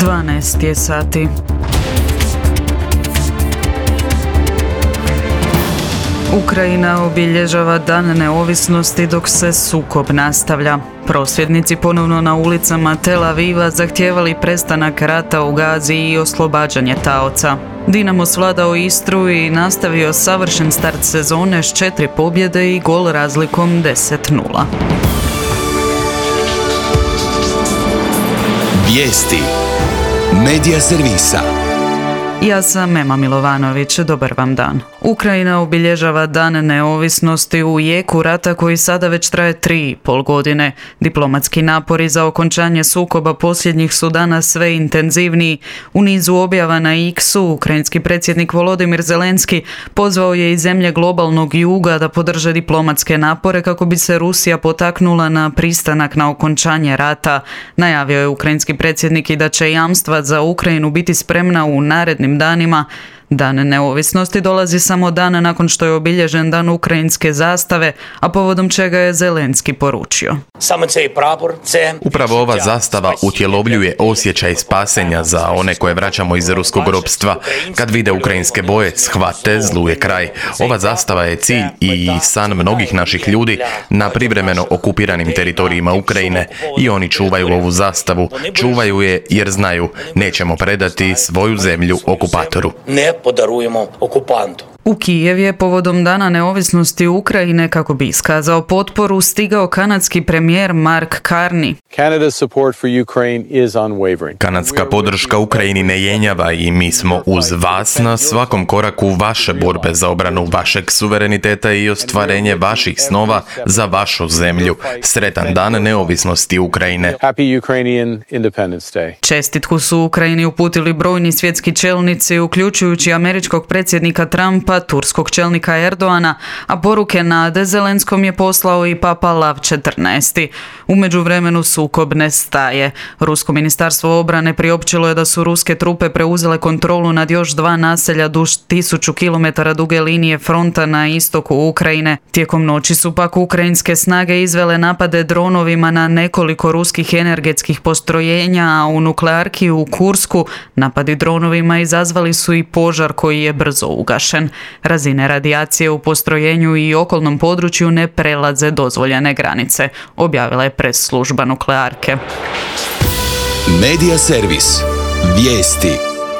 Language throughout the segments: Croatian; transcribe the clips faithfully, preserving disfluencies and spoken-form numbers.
dvanaest je sati. Ukrajina obilježava Dan neovisnosti dok se sukob nastavlja. Prosvjednici ponovno na ulicama Tel Aviva zahtijevali prestanak rata u Gazi i oslobađanje taoca. Dinamo svladao Istru i nastavio savršen start sezone s četiri pobjede i gol razlikom deset nula. Vijesti Medija servisa. Ja sam Ema Milovanović, dobar vam dan. Ukrajina obilježava Dan neovisnosti u jeku rata koji sada već traje tri i pol godine. Diplomatski napori za okončanje sukoba posljednjih su danas sve intenzivniji. U nizu objava na X-u ukrajinski predsjednik Volodimir Zelenski pozvao je i zemlje globalnog juga da podrže diplomatske napore kako bi se Rusija potaknula na pristanak na okončanje rata. Najavio je ukrajinski predsjednik i da će jamstva za Ukrajinu biti spremna u narednim danima. Dan neovisnosti dolazi samo dan nakon što je obilježen dan ukrajinske zastave, a povodom čega je Zelenski poručio. Upravo ova zastava utjelovljuje osjećaj spasenja za one koje vraćamo iz ruskog ropstva. Kad vide ukrajinske boje, shvate, zlu je kraj. Ova zastava je cilj i san mnogih naših ljudi na privremeno okupiranim teritorijima Ukrajine i oni čuvaju ovu zastavu. Čuvaju je jer znaju, nećemo predati svoju zemlju okupatoru. Podarujemo okupantu. U Kijev je povodom Dana neovisnosti Ukrajine, kako bi iskazao potporu, stigao kanadski premijer Mark Carney. Kanadska podrška Ukrajini ne jenjava i mi smo uz vas na svakom koraku vaše borbe za obranu vašeg suvereniteta i ostvarenje vaših snova za vašu zemlju. Sretan Dan neovisnosti Ukrajine. Čestitku su Ukrajini uputili brojni svjetski čelnici, uključujući američkog predsjednika Trumpa, turskog čelnika Erdoana, a poruke nade Zelenskom je poslao i Papa Lav četrnaesti. U međuvremenu sukob ne staje. Rusko ministarstvo obrane priopćilo je da su ruske trupe preuzele kontrolu nad još dva naselja duž tisuću kilometara duge linije fronta na istoku Ukrajine. Tijekom noći su pak ukrajinske snage izvele napade dronovima na nekoliko ruskih energetskih postrojenja, a u nuklearki u Kursku napadi dronovima izazvali su i požar koji je brzo ugašen. Razine radijacije u postrojenju i okolnom području ne prelaze dozvoljene granice, objavila je press služba nuklearke. Medija servis. Vijesti.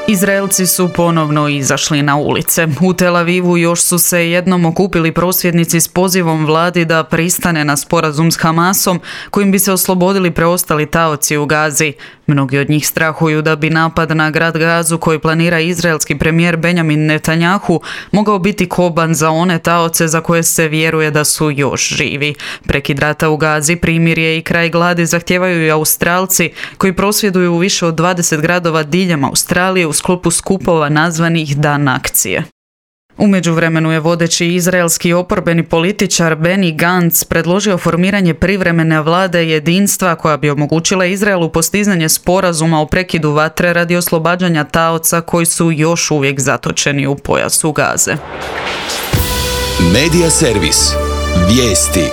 Izraelci su ponovno izašli na ulice. U Tel Avivu još su se jednom okupili prosvjednici s pozivom vladi da pristane na sporazum s Hamasom kojim bi se oslobodili preostali taoci u Gazi. Mnogi od njih strahuju da bi napad na grad Gazu koji planira izraelski premijer Benjamin Netanjahu mogao biti koban za one taoce za koje se vjeruje da su još živi. Prekid rata u Gazi, primirje i kraj gladi zahtijevaju i Australci koji prosvjeduju u više od dvadeset gradova diljem Australije u sklopu skupova nazvanih Dan akcije. U međuvremenu je vodeći izraelski oporbeni političar Benny Gantz predložio formiranje privremene vlade jedinstva koja bi omogućila Izraelu postizanje sporazuma o prekidu vatre radi oslobađanja taoca koji su još uvijek zatočeni u pojasu Gaze. Medija servis. Vijesti.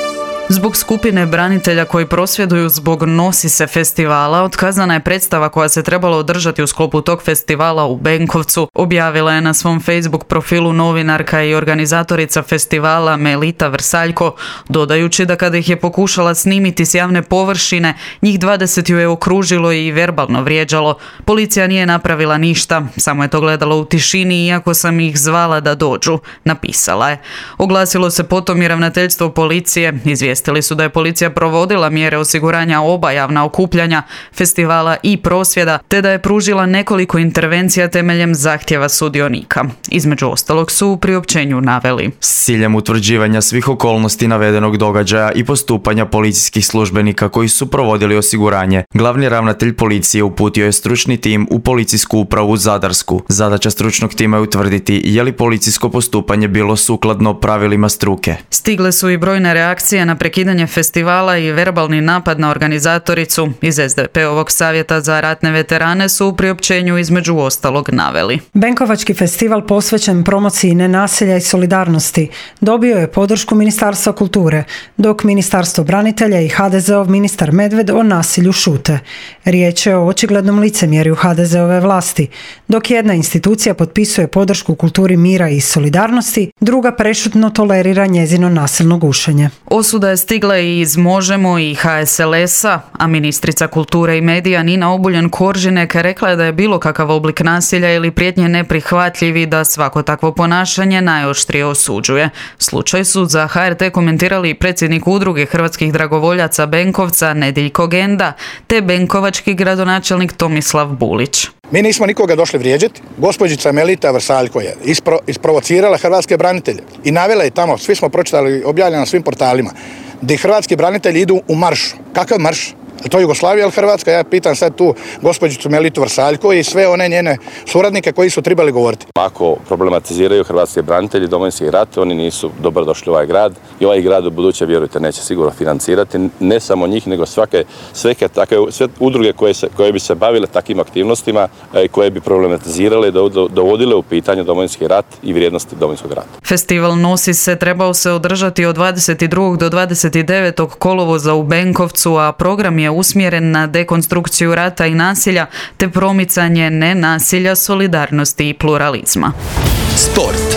Zbog skupine branitelja koji prosvjeduju zbog Nosi se festivala, otkazana je predstava koja se trebala održati u sklopu tog festivala u Benkovcu, objavila je na svom Facebook profilu novinarka i organizatorica festivala Melita Vrsaljko, dodajući da kada ih je pokušala snimiti s javne površine, njih dvadeset ju je okružilo i verbalno vrijeđalo. Policija nije napravila ništa, samo je to gledalo u tišini iako sam ih zvala da dođu, napisala je. Oglasilo se potom i ravnateljstvo policije, izvijestili su da je policija provodila mjere osiguranja oba javna okupljanja, festivala i prosvjeda, te da je pružila nekoliko intervencija temeljem zahtjeva sudionika. Između ostalog su u priopćenju naveli: s ciljem utvrđivanja svih okolnosti navedenog događaja i postupanja policijskih službenika koji su provodili osiguranje, glavni ravnatelj policije uputio je stručni tim u policijsku upravu Zadarsku. Zadaća stručnog tima je utvrditi je li policijsko postupanje bilo sukladno pravilima struke. Stigle su i brojne reakcije na prekidanje festivala i verbalni napad na organizatoricu. Iz es de pe-ovog savjeta za ratne veterane su u priopćenju između ostalog naveli: Benkovački festival posvećen promociji nenasilja i solidarnosti dobio je podršku Ministarstva kulture, dok Ministarstvo branitelja i ha de zeov ministar Medved o nasilju šute. Riječ je o očiglednom licemjerju ha de zeove vlasti. Dok jedna institucija potpisuje podršku kulturi mira i solidarnosti, druga prešutno tolerira njezino nasilno gušenje. Osuda je stigla i iz Možemo i ha es el es-a, a ministrica kulture i medija Nina Obuljen-Koržinek rekla je da je bilo kakav oblik nasilja ili prijetnje neprihvatljiv i da svako takvo ponašanje najoštrije osuđuje. Slučaj su za ha er te komentirali i predsjednik udruge hrvatskih dragovoljaca Benkovca Nediljko Genda te benkovački gradonačelnik Tomislav Bulić. Mi nismo nikoga došli vrijeđati. Gospođica Melita Vrsaljko je ispro, isprovocirala hrvatske branitelje i navela je tamo, svi smo pročitali, objavljeno na svim portalima, gdje hrvatski branitelji idu u marš. Kakav marš? Je to Jugoslavija ili Hrvatska? Ja pitam sad tu gospođicu Melitu Vrsaljko i sve one njene suradnike koji su trebali govoriti. Ako problematiziraju hrvatski branitelji Domovinski rat, oni nisu dobro došli u ovaj grad i ovaj grad u buduće, vjerujte, neće sigurno financirati ne samo njih, nego svake, sveke takve, sve udruge koje, se, koje bi se bavile takvim aktivnostima i koje bi problematizirale i dovodile u pitanje Domovinski rat i vrijednosti Domovinskog rata. Festival Nosi se trebao se održati od dvadeset drugog do dvadeset devetog kolovoza u Benkovcu, a program je usmjeren na dekonstrukciju rata i nasilja te promicanje nenasilja, solidarnosti i pluralizma. Sport.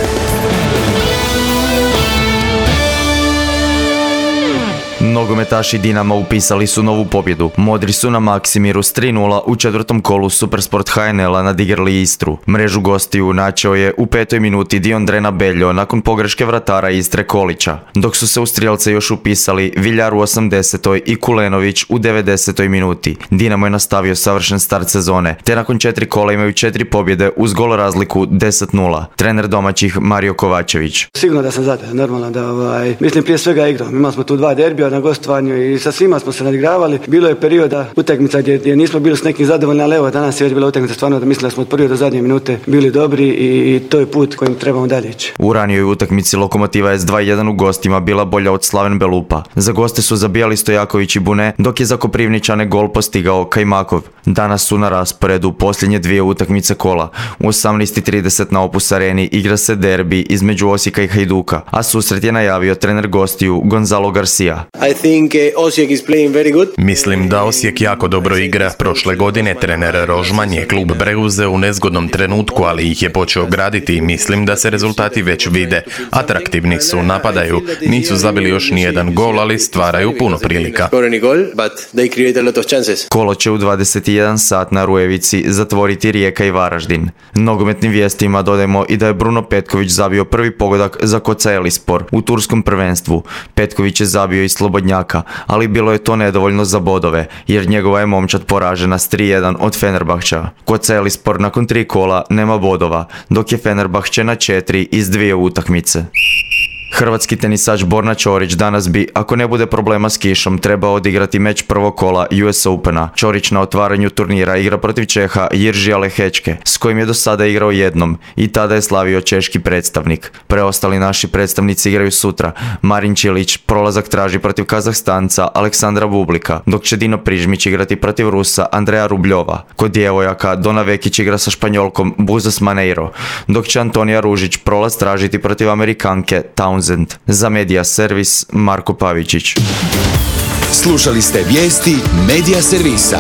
Nogometaši Dinama upisali su novu pobjedu. Modri su na Maksimiru s tri nula u četvrtom kolu Supersport ha en el-a nadigrali Istru. Mrežu gostiju načeo je u petoj minuti Diondrena Beljo nakon pogreške vratara Istre Kolića, dok su se u strijelce još upisali Viljar u osamdesetoj i Kulenović u devedesetoj minuti. Dinamo je nastavio savršen start sezone, te nakon četiri kola imaju četiri pobjede uz gol razliku deset nula. Trener domaćih Mario Kovačević. Sigurno da sam zadovoljan, normalno da ovaj, mislim prije svega igram. Imali smo tu dva derbija na gostovanju i sa svima smo se nadigravali. Bilo je perioda utakmica gdje, gdje nismo bili s nekim zadovoljni, ali evo danas je već bila utakmica stvarno da mislim da smo od prve do zadnje minute bili dobri i, i to je put kojim trebamo dalje ići. U ranijoj utakmici Lokomotiva S dva jedan u gostima bila bolja od Slaven Belupa. Za goste su zabijali Stojaković i Bune, dok je za Koprivničane gol postigao Kajmakov. Danas su na rasporedu posljednje dvije utakmice kola. U osamnaest i trideset na Opus Areni igra se derbi između Osijeka i Hajduka, a susret je najavio trener gostiju Gonzalo Garcia. I think uh, Osijek is playing very good. Mislim da Osijek jako dobro igra. Prošle godine trener Rožman je klub preuzeo u nezgodnom trenutku, ali ih je počeo graditi i mislim da se rezultati već vide. Atraktivni su, napadaju, nisu zabili još ni jedan gol, ali stvaraju puno prilika. Kolo će u dvadeset jedan sat na Rujevici zatvoriti Rijeka i Varaždin. Nogometnim vijestima dodajemo i da je Bruno Petković zabio prvi pogodak za Kocaelispor u turskom prvenstvu. Petković je zabio i Slobodnjaka, ali bilo je to nedovoljno za bodove, jer njegova je momčad poražena s tri jedan od Fenerbahča. Kocaelispor nakon tri kola nema bodova, dok je Fenerbahče na četiri iz dvije utakmice. Hrvatski tenisač Borna Ćorić danas bi, ako ne bude problema s kišom, trebao odigrati meč prvog kola U S Opena. Ćorić na otvaranju turnira igra protiv Čeha Jiržija Lehečke, s kojim je do sada igrao jednom i tada je slavio češki predstavnik. Preostali naši predstavnici igraju sutra. Marin Čilić prolazak traži protiv Kazahstanca Aleksandra Bublika, dok će Dino Prižmić igrati protiv Rusa Andreja Rubljova. Kod djevojaka Dona Vekić igra sa Španjolkom Buzas Maneiro, dok će Antonija Ružić prolaz tražiti protiv Amerikanke Townsend. Za Medija Servis Marko Pavičić. Slušali ste vijesti Medija Servisa.